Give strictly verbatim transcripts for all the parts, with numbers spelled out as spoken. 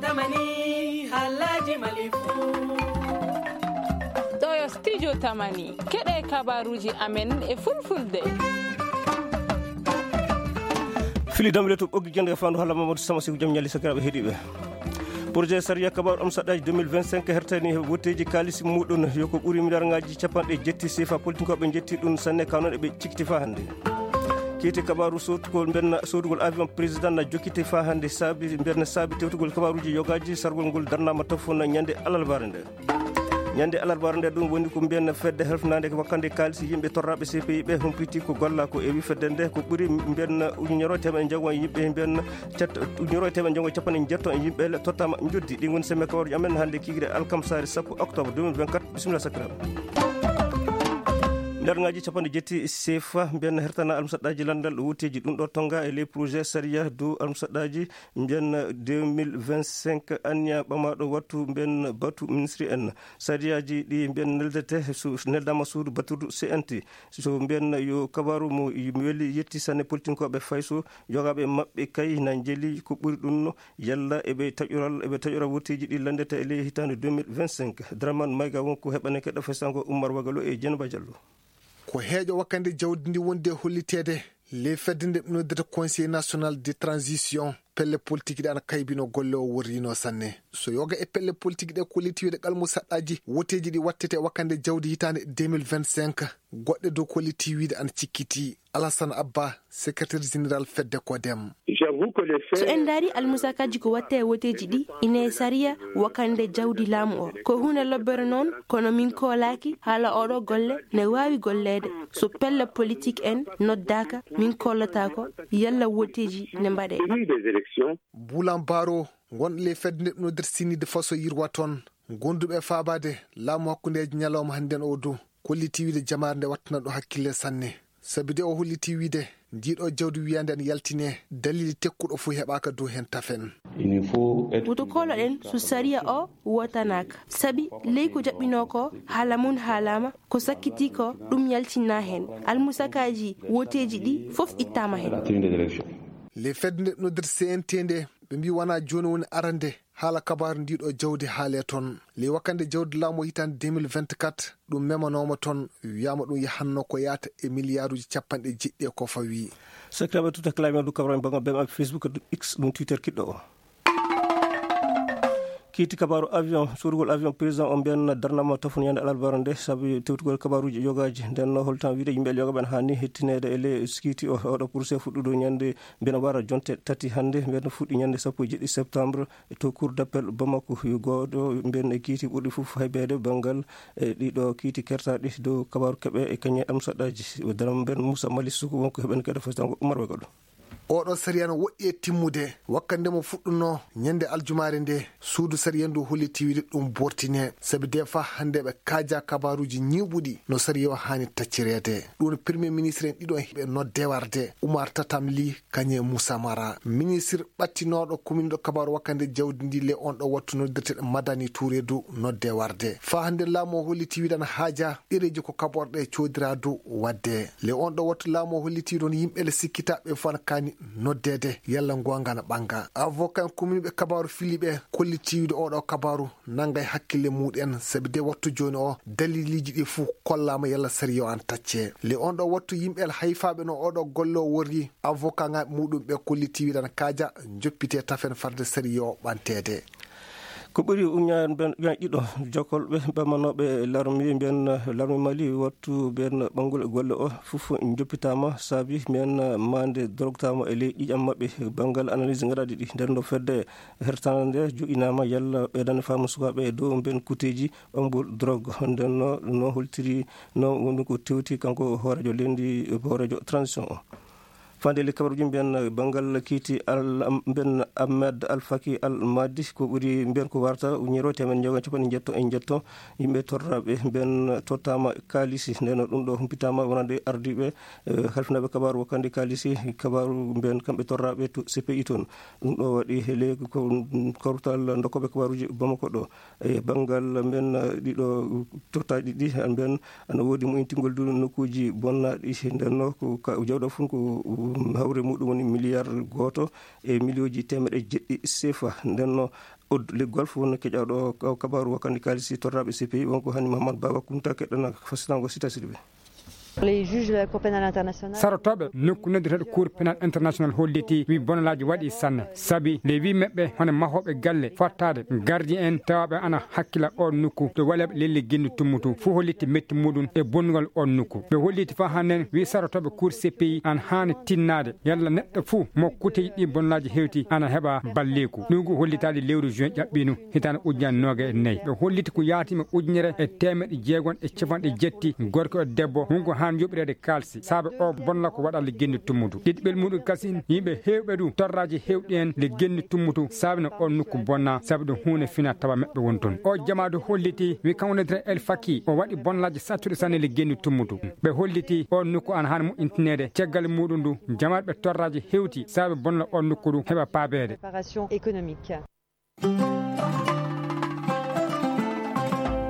Tamani, halaji malifu. Ɗo yo studio Tamani. Keɗe kabaruji amen e fulfulde. Fili damle to ɓoggi jande fandu hala Mamadou Sama Siku jam ñali sakiraɓe heɗiɓe. Projet sariya kabaru am saɗaji deux mille vingt-cinq hertani wotteji kaalis muɗum yo ko ɓuri miliyaringaji capanɗe jetti sefa politique ɓe jetti ɗum sanne ka noon eɓe cikkiti fa hannde. Kiiti kabaru sodugol mbenna sodugol avion président na jokkiti fa hannde saabi mbenna saabi tewtugol kabaruji yogaji sargol ngol darnama tafo na ñande alarbaare nde. Ñande alarbaare nde ɗum woni ko mbiyanna fedde helfnande ko wakkande kaalis yimɓe torraɓe C P I ɓe humpiti ko golla ko ewi fedde nde ko ɓuri mbiyanna ujunere e teemeɗe jeegom yimɓe mbiyanna cet ujunere e teemeɗe jeegom e capanɗe jeetati e yimɓe le tottama joddi. Ɗin woni semme kabaruji amen hannde kigre alkamsare sappo octobre deux mille vingt-quatre. Bisimilla sakiraɓe. Miliyaringaji capanɗe jetti sefa mbiyanna hertana almusaɗɗaji landal wotteji ɗum ɗo tonga e ley projet sariya dow almusaɗɗaji mbiyanna deux mille vingt-cinq anniya ɓamaɗo wattu mbiyanna batu ministre en. Sariyaji ɗi mbiyanna neldete so neldama suudu baturdu C N T so mbiyanna yo kabaru mo weli yetti sanne politinkoɓe fayso yogaɓe maɓɓe kay na jeeli ko ɓuri ɗum no yalla eɓe taƴoral eɓe taƴora wotteji ɗi landete e ley hitande deux mille vingt-cinq. Draman mayga wonko heɓaneke ɗo fesango Ummar Wagalo e Jenba Diallo. Ko heeƴo wakkande jawdi ndi wonde holliteede ley fedde nde noddata Conseil National de Transition, pelle politique ɗe ana kaybino golle o worrino sanne. So yoga e pelle politique ɗe kolliti wiide qalmu saɗɗaji woteji ɗi wattete e wakkande jawdi hitande deux mille vingt-cinq, goɗɗe dow kolliti wiide ana cikkiti. Alassane Abba, secrétaire général fedde Kodem. So en ndaari almusakaji ko watte e woteji ɗi, ine e sariya wakande jawdi laamu o. Ko huunde lobbere noon, kono min koolaaki haala oɗo golle ne waawi golleede. So pelle politik en noddaaka, min kollataako yalla woteji ne mbaɗe. Bulan Baro, gonɗo ley fedde nde ɓe noddirta sinide faso yirwa toon. Gonduɓe e faabaade laamu hakkundeeji ñalawma hannden o du, kolliti wiide jamaare nde wattana ɗo hakkille sanne. Sabi de o holliti wiide ndiɗo jawdi wiyande en yaltine, dalili tekkuɗo fof heɓaaka dow heen tafen. Woto kooloɗen so sariya o wootanaaka. Sabi ley ko jaɓɓinoo ko, haala mum haalaama, ko sakkitii ko, ɗum yaltinnaa heen. Almusakaaji woteeji ɗi fof ittaama heen. Ley fedde nde noddirta C N T nde, ɓe mbii wonaa jooni woni arande haala kabaaru ndiɗo jawdi haalee toon. Ley wakkande jawdi laamu o hitande deux mille vingt-quatre, ɗum memanooma toon, wiyaama ɗum yahanno ko yahata e miliyaaruuji capanɗe jeɗɗi e ko fawi. Sakiraaɓe, tuta kalami o du kabaaru e bangal B M A Facebook, X, ɗum Twitter kiɗɗo o. Kiiti kabaaru avion, soodugol avion président o mbiyanna darnama tafon ñande alarbaare nde, sabi tewtugol kabaaruuji yogaaji. Nden no holtan wiide yimɓe yoga ɓen haani hettineede e ley kiiti o, oɗo procès fuɗɗuɗo ñande mbiyanna wara jonte tati hannde, mbiyanna fuɗɗi ñande sappo e jeɗɗi septembre to cour d'appel Bamako. Yo gooto mbiyanna e kiiti ɓurɗi fof haybeede banngal e ɗiɗo kiiti kertaaɗi dow kabaaru keɓe e kañe am saɗɗaaji. Daram mbiyanna Moussa Mali Suku wonko heɓen kadi fasitango Umar Wagalo. Oɗo sariya no woɗɗi e timmude. Wakkande mo fuɗɗuno ñande aljumaare nde, suudu sariya ndu holliti wiide ɗum bortine. Sabi de fa hannde ɓe kaaja kabaaruuji ñiiɓuɗi no sariya o haani taccireede. Ɗum premier ministre en ɗiɗo ɓe nodde warde, Oumar Tatam Ly kañe Moussa Mara. Ministre ɓattinooɗo kuminɗo kabaaru wakkande jawdi ndi le on ɗo wattu noddirteɗo Madani Touré du nodde warde. Fa hannde laamu o holliti wiide ana haaja ɗereeji ko kaɓorɗe coodiradu waɗde. Le on ɗo wattu laamu o holliti ɗon yimɓe le sikkitaɓe fof ana kaani noddeede yalla ngoonga ana ɓannga. Avocat en kuminɓe kabaaru fili ɓe kolliti wiide oɗo kabaaru nanngay hakkille muɗen sabi de wattu jooni o daliliji ɗi fof kollaama yalla sariya o ana tacce. Le on ɗo wattu yimɓe hayfaɓe no oɗo golle o worri avocat ngaɓe muɗum ɓe kolliti wiide ana kaaja joppite tafen farde sariya o ɓanteede. Ko ɓuri uñaɗiɗo jokolɓe ɓamanoɓe larmi mbiyan larmi Mali wattu mbiyan ɓanngol golle o fof joppitama saabi mbiyan mande drogtama e ley ƴiƴam maɓɓe. Banngal analyse gaɗaɗi ɗi nden no fedde hertana nde joƴinama yalla ɓeydande faamu sukaɓe e dow mbiyan kuteji ɓanngol drogue. Nden no no holtiri no woni ko tewti kanko hoorejo leydi hoorejo transition o. Fande le kabaruji mbiyan banngal kiiti al mbiyan Ahmed Al Faki Al Madi ko ɓuri mbiyan ko warta uñiro temen joga capanɗe jetto e jetto yimɓe torraɓe mbiyan tottama kalisi. Ndeno ɗum ɗo humpitama wonande ardiɓe halfinaɓe kabaru wakkande kalisi kabaru mbiyan kamɓe torraɓe to C P I toon. Ɗum ɗo waɗi hele ko kawtal dokkoɓe kabaruji Bamako ɗo. E banngal mbiyan ɗiɗo tottaaɗi ɗi mbiyan ana woodi moyintingol du nokkuuji bonnaaɗi. Nden no ko jawɗo fof ko hawre muɗum woni miliyar gooto e miliyoji teemeɗe jeɗɗi sefa. Nden no Od liggol fof wonno keƴaaɗo o kabaaru wakkande kaalisi torraaɓe C P I, wonko hani Mahamad Baba Kunta keɗɗana fasitango sita siɗi ɓe. Les juges de la Cour pénale internationale. Sarotooɓe nokku noddirteeɗo Cour pénal international holliti wi bonalaaji waɗi sanne, sabi le wi meɓɓe hono mahooɓe galle fottaade gardien en tawaaɓe ana hakkila o nokku to waleeɓe lelli genni tummutu fof holliti metti muɗum e bonnugol o nokku. Ɓe holliti fa hannden wi sarotooɓe Cour C P I ana haani tinnaade yalla neɗɗo fuu mo kuteji ɗi bonnaaji hewti ana heɓa balleeku. Ɗum ko hollitaade lewru juin ƴaɓɓiinu hitaande ujunere noogaye e nayi. Ɓe holliti ko yaatiima ujunere e teemeɗɗe jeegom e capanɗe jetti gorko e debbo, hunko haan yoɓireede kaalsi, saabe o bonna ko waɗa le genni tummutu. Ɗiɗi ɓel muɗum kasin, yimɓe heewɓe du torraaji heewɗi en le genni tummutu, saabe no o nokku bonna, saabe ɗum huunde fina tawa meɓɓe won toon. O jamaadu holliti, wi kanko ne dre El Faki, o waɗi bonnaaji sattuɗi sanne le genni tummutu. Ɓe holliti o nokku ana haan moƴƴintineede, caggal muɗum du, jamaaɗe ɓe torraaji hewti, saabe bonna o nokku du heɓa paabeede. Réparation économique.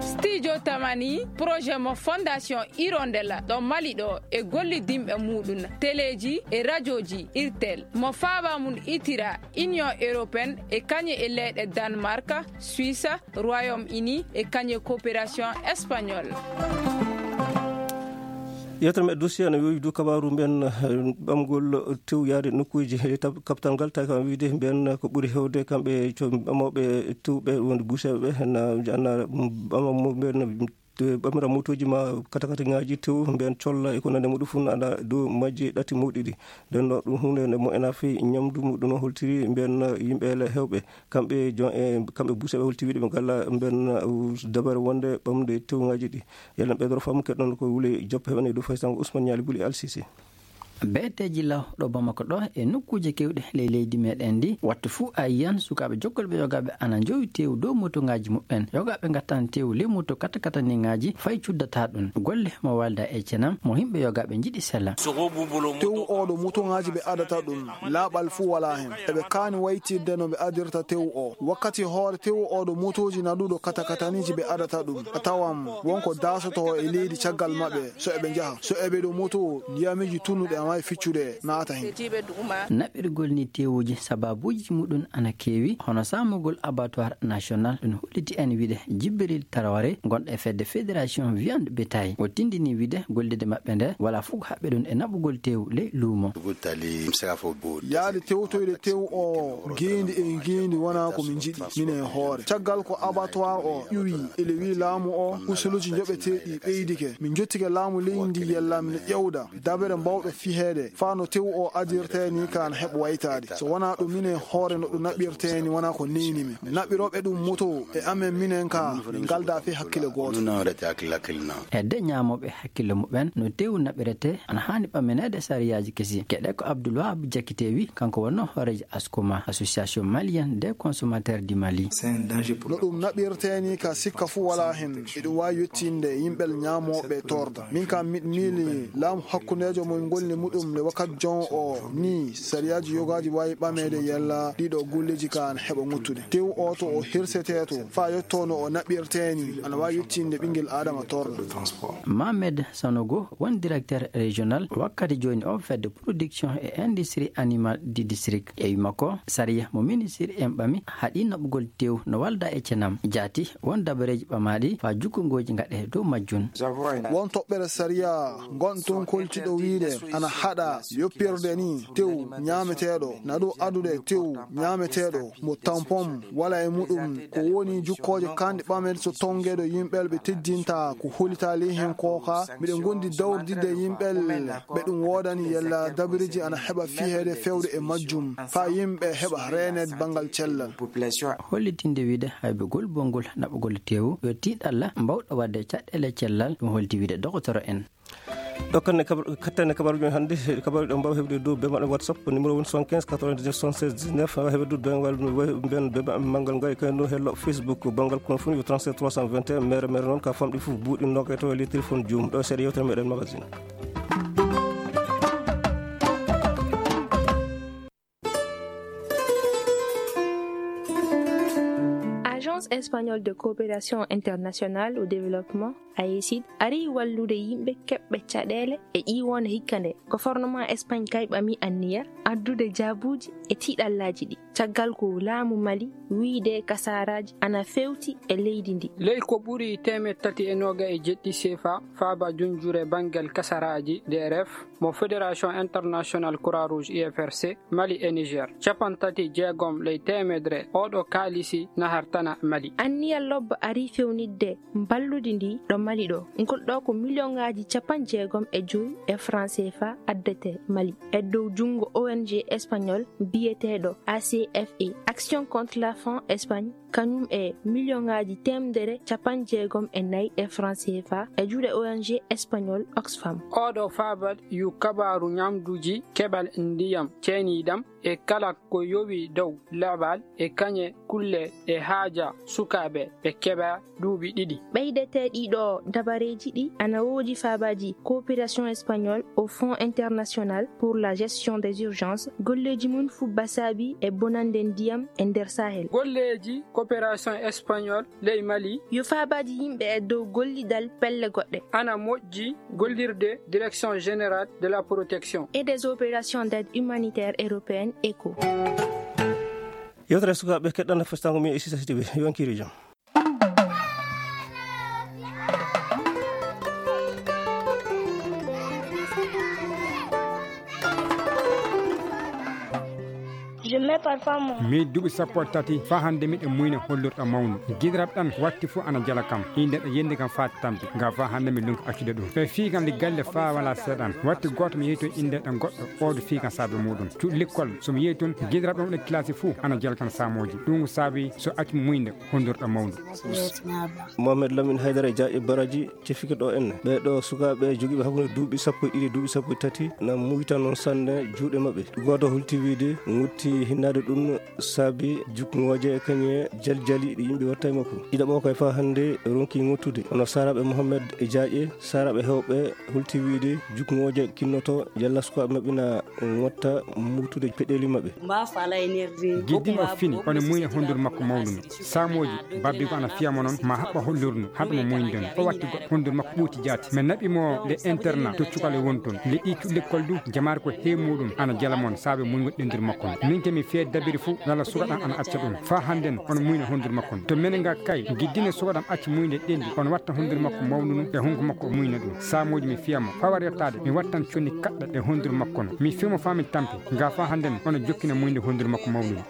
Studio Tamani, projet mo Fondation Hirondelle ɗo Mali ɗo e gollidinɓe muɗum, teleeji e rajooji Irtel, mo faaba mum itira Union Européenne e kañe e leyɗe Danemark, Suisse, Royaume-Uni e kañe coopération espagnole. Yewtere meɗen dossier ene yowi du kabaaru mbiyen, eh, ɓamgol tew yaade nokkuuji e tab-, kapital ngal, tawi kam wiide mbiyen ko ɓuri heewde kamɓe co-, ɓamooɓe tew ɓe wonde buuseeɓe ɓe, na, na ɓama mo mbiyen, eh, ɓamira motooji ma katakatiŋaaji tew mbiyen colla e ko nande muɗum fof ana dow majji ɗatti mawɗi ɗi. Nden no ɗum huunde nde mo ena fii ñamdu muɗum no holtiri mbiyen yimɓe le heewɓe. Kamɓe jon-, e kamɓe buuseeɓe holti wiide ɓe ngala mbiyen, uh, dabare wonde ɓamde tewŋaaji ɗi. Yalla ɓeydoro faamu keɗɗon ko wuli joppa heɓane dow faysango Ousmane Ñaali Buli Al Sisi. Beeteeji law ɗo Bamako ɗo e nokkuuje keewɗe ley leydi meɗen ndi, wattu fuu a yiyan sukaaɓe jokkolɓe yogaaɓe ana njowi teewu dow motoŋaaji muɓɓen. Yogaaɓe ngattan teewu ley moto katakataniŋaaji fay cuddata ɗum. Golle mo walda e cenam mo yimɓe yogaaɓe njiɗi sella. Teewu o ɗo motoŋaaji ɓe adata ɗum, laaɓal fuu walaa hen. Eɓe kaani waytirde no ɓe adirta teewu o. Wakkati hoore teewu o ɗo motooji naɗuɗo katakataniiji ɓe adata ɗum. A tawan wonko daasoto e leydi caggal maɓɓe so eɓe njaha. So eɓe ɗo moto, ndiyamiji tunnuɗi ana waawi ficcude naata hen. Naɓirgol ni teewuji sababuuji muɗum ana keewi, hono saamugol abattoir national, ɗum holliti en wiide Jibril Traoré, gonɗo e fedde Fédération Viande Bétail. O tindini wiide gollirde maɓɓe nde wala fof ko haɓɓe ɗum e naɓugol teewu ley luumo. Yaade tewtoyde teewu o ngeendi e ngeendi wonaa ko min njiɗi, minen e hoore. Caggal ko abattoir o ƴuwi, ele wi laamu o, usuluuji njoɓeteeɗi ɓeydike. Min njottike laamu leydi ndi yalla min ƴewda dabere mbawɗo fiheede, faa no teewu o adirtee ni kaan heɓa waytaade. So wonaa ɗum, minen e hoore no ɗum naɓirtee ni wonaa ko neyni min. Naɓirooɓe ɗum moto e amen minen ka, min ngaldaa fii hakkille gooto. E de ñaamooɓe hakkille muɓɓen no teewu naɓiretee, ana haani ɓammineede sariyaaji kesi. Keɗe ko Abdoul Wahab Diakité wi, kanko wonno hooreejo Askoma, Association Malienne des Consommateurs du Mali. No ɗum naɓirtee ni ka sikka fuu walaa hen. Eɗum waawi yettinde yimɓe ñaamooɓe torda. Min kam miɗo miili laamu hakkundeejo mo ngolli muɗum nde wakkati jon o ni, sariyaaji yogaaji waawi ɓameede yalla ɗiɗo golleeji ka ana heɓa ŋuttude. Teewu o to o hirsetee to, faa yotto no o naɓirtee ni, ana waawi yettinde ɓinngel Aadama torda. Mohamed Sanogo won directeur régional wakkati jooni o fedde production et industrie animale du district. E wi makko, sariya mo ministre en ɓami haɗi naɓugol teewu no walda e cenam. Jaati won dabareeji ɓamaaɗi faa jukkungooji ngaɗe dow majjum. Won toɓɓere sariya ngon toon koltiɗo wiide ana haɗa yoppirde ni teewu ñaameteeɗo, na ɗo adude teewu ñaameteeɗo mo tampon wala e muɗum, ko woni jukkooje kanɗe ɓamen so tongeeɗo yimɓe ɓe teddinta ko holitaali hen kooka. Miɗen ngondi dawrdidde yimɓe ɓe ɗum woodani yalla dabiriji ana heɓa fiheede fewde e majjum, faa yimɓe heɓa reeneede banngal cellal. Hollitinde wiide haybegol bonngol naɓugol teewu yo tiiɗalla mbawɗo waɗde caɗeele cellal, ɗum holti wiide dogotoro en. Ɗo kanne kabar-, kattane kabaruji men hannde, kabaruji ɗo mbaawa heɓde dow bema ɗo WhatsApp, numéro woni soixante-quinze quatre-vingt-dix-neuf soixante-seize dix-neuf, mbaawa heɓde dow bema, bema, bema manngal ngal, kay no hello Facebook, banngal kono fof yo trente-sept trois cent vingt et un, mere, mere noon ka famɗi fof buuɗi nokay tawa e ley téléphone joomum. Ɗo seeɗa yewtere meɗen magazine. Agence espagnole de coopération internationale au développement, AECID, ari wallude yimɓe keɓɓe caɗeele e ƴiiwoonde hikka nde. Gouvernement Espagne kay ɓami anniya addude jaabuuji e tiiɗallaaji ɗi. caggal ko laamu Mali wiyde kasaaraaji ana feewti e leydi ndi. Ley ko ɓuri teemeɗɗe tati e noogay e jeɗɗi seefa faaba junjure banngel kasaaraaji D R F mo Fédération Internationale Croix Rouge I F R C, Mali e Niger. Capanɗe tati jeegom ley teemedre oɗo kaalisi nahartana Mali. Anniya lobba ari fewnitde mballudi ndi ɗo Mali ɗo. Ngol ɗo ko miliyonŋaaji capanɗe jeegom e joy e franc C F A addete Mali e dow junngo O N G espagnol biyeteeɗo A C F E, Action contre la faim Espagne, kañum e miliyonŋaaji teemedere capanɗe jeegom e nayi e franc C F A e juuɗe O N G espagnol Oxfam. Oɗo faabal yu kabaaru ñamduuji, keɓal ndiyam ceeniiɗam e kala ko yowi dow leɓal e kañe kulle e haaja sukaaɓe ɓe keɓa duuɓi ɗiɗi. Ɓeydete ɗiɗo dabareeji ɗi ana woodi faabaaji Coopération espagnole au Fonds international pour la gestion des urgences, golleeji mum fubba saabi e bonande ndiyam e nder Sahel. Golleeji Coopération espagnole ley Mali. Yo faabaaji yimɓe e dow gollidal pelle goɗɗe. Ana moƴƴi gollirde Direction Générale de la Protection et des Opérations d'Aide Humanitaire Européenne, ECHO. Yewtere sukaaɓe keɗɗana festango mi e Sisa Sidibé, yo on kiiri jam. Mi duuɓi sappo e tati faa hannde miɗo muyna hollirɗo mawnu. Giɗiraɓe ɗan watti fof ana jala kam. Innde ɗo yendi kam faati tampi. Nga faa hannde mi lunka accude ɗum. Ɓe fii kam li galle faa wala seeɗan. Watti gooto mi yehi toon innde ɗo goɗɗo. Oɗo fii kam saabe muɗum. Cuuɗi likkol so mi yehi toon giɗiraɓe ɗon ɗo kilasi fof ana jala kam saamooji. Ɗum ko saabi so accu muynde hollirɗo mawnu. Mohamed Lamine Haydara Dia e Baraji. Cefike ɗo en ɓee ɗo sukaaɓe jogiiɓe hakkunde duuɓi sappo e ɗiɗi e duuɓi sappo e tati na muyta noon sanne juuɗe maɓɓe. Gooto hulti wiide ŋutti hinnaade ɗum saabi jukngooje e kañe jaljali ɗi yimɓe watta e makko. Ɗiɗaɓo kay faa hannde ronki ŋottude. Hono Saaraaɓe Mohammed e Jaaƴe, Saaraaɓe heewɓe hulti wiide jukngooje kinnoto yalla sukaaɓe maɓɓe na ŋotta muytude peɗeeli maɓɓe. Giddin o fini, ono muyna hondude makko mawnuno. Saamooji, babbi ko ana fiya mo noon, ma haɓɓa hollirno, haɗa mo muynden. O watti goɗɗo, hondude makko ɓuuti jaati. Min naɓi mo le internat, to cukale woni toon. Le ɗi cuɗi lekkol du, jamaare ko heewi muɗum, ana jala mon, saabe muyngol ɗendude makko no. Min ke mi fee dabiri fuu, walla suka ɗam ana acca ɗum. Faa hannden, ono muyna hondude makko no. To menen ga kay, giddine suka ɗam acci muynde ɗendi, ono watta hondude makko mawnuno, e hunko makko o muyna ɗum. Saamooji mi fiya mo, faa war yettaade, mi wattan conni kaɗɗa e hondude makko no. Mi fiya mo faa mi tampi, ga faa hannden, ono jokkina muynde hondude makko mawnuno.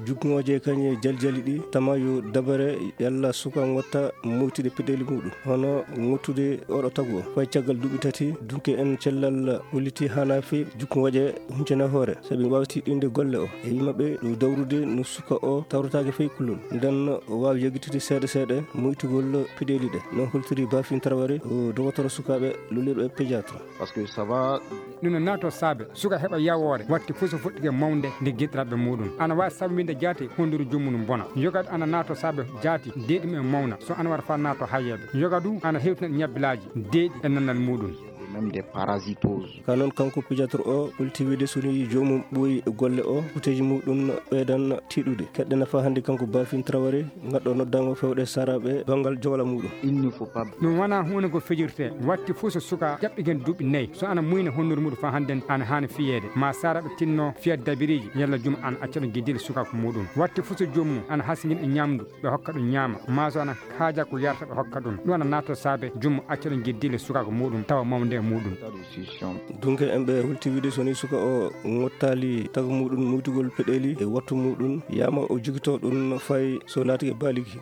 Jukngooje kañe jaljali ɗi tama yo dabare yalla suka ngotta moytude peɗeli muɗum, hono ngottude oɗo tagu o. Fay caggal duuɓi tati, dunke en cellal holliti hana fe jukngooje huncana hoore, sabi wawti ɗinde golle o. E yimɓe ɓe ɗo dawrude no suka o tawrataake fay kullol. Nden o waawi yagitude seeɗa seeɗa moytugol peɗeli ɗe. No holtiri Bafin Traoré, o dogotoro sukaaɓe lolirɓe pédiatre. Parce que ça va. Ɗum no naato saabe, suka heɓa yawoore, watti fof so fuɗɗike mawnde nde giɗiraɓe muɗum. Ana waawi sabbinde jaati honduru joomum bona. Yogaɗo ana naato saabe jaati, deeɗi mum e mawna, so ana wara faa naato hayeeɓe. Yoga du ana hewtina ñabbilaaji, deeɗi e nannal muɗum. Même des parasitoses. Ka noon kanko pédiatre o, holti wiide so ni joomum ɓooyi e golle o, kuteeji muɗum ɓeydan tiiɗude. Keɗɗe nafa hannde kanko Bafin Traoré, ngaɗɗo noddaango fewɗe Saaraaɓe banngal jowla muɗum. Il ne faut pas. Ɗum wonaa huunde ko fijirtee. Watti fof so suka ƴaɓɓigen duuɓi nayi, so ana muyna honndude muɗum faa hannden ana haani fiyeede. Ma Saaraaɓe tinno fiya dabiriiji, yalla juma ana acca ɗum giddile sukaaku muɗum. Watti fof so joomum ana hasingina e ñamdu, ɓe hokka ɗum ñaama. Ma so ana haaja ko yarata, ɓe hokka ɗum. Ɗum ana naata saabe juma acca ɗum giddile sukaaku muɗum, tawa mawnde e muɗum. Dunke en ɓe holti wiide so ni suka o ngottaali tagu muɗum muytugol peɗeli e wattu muɗum, yama o jogito ɗum fay so laati e baaliki.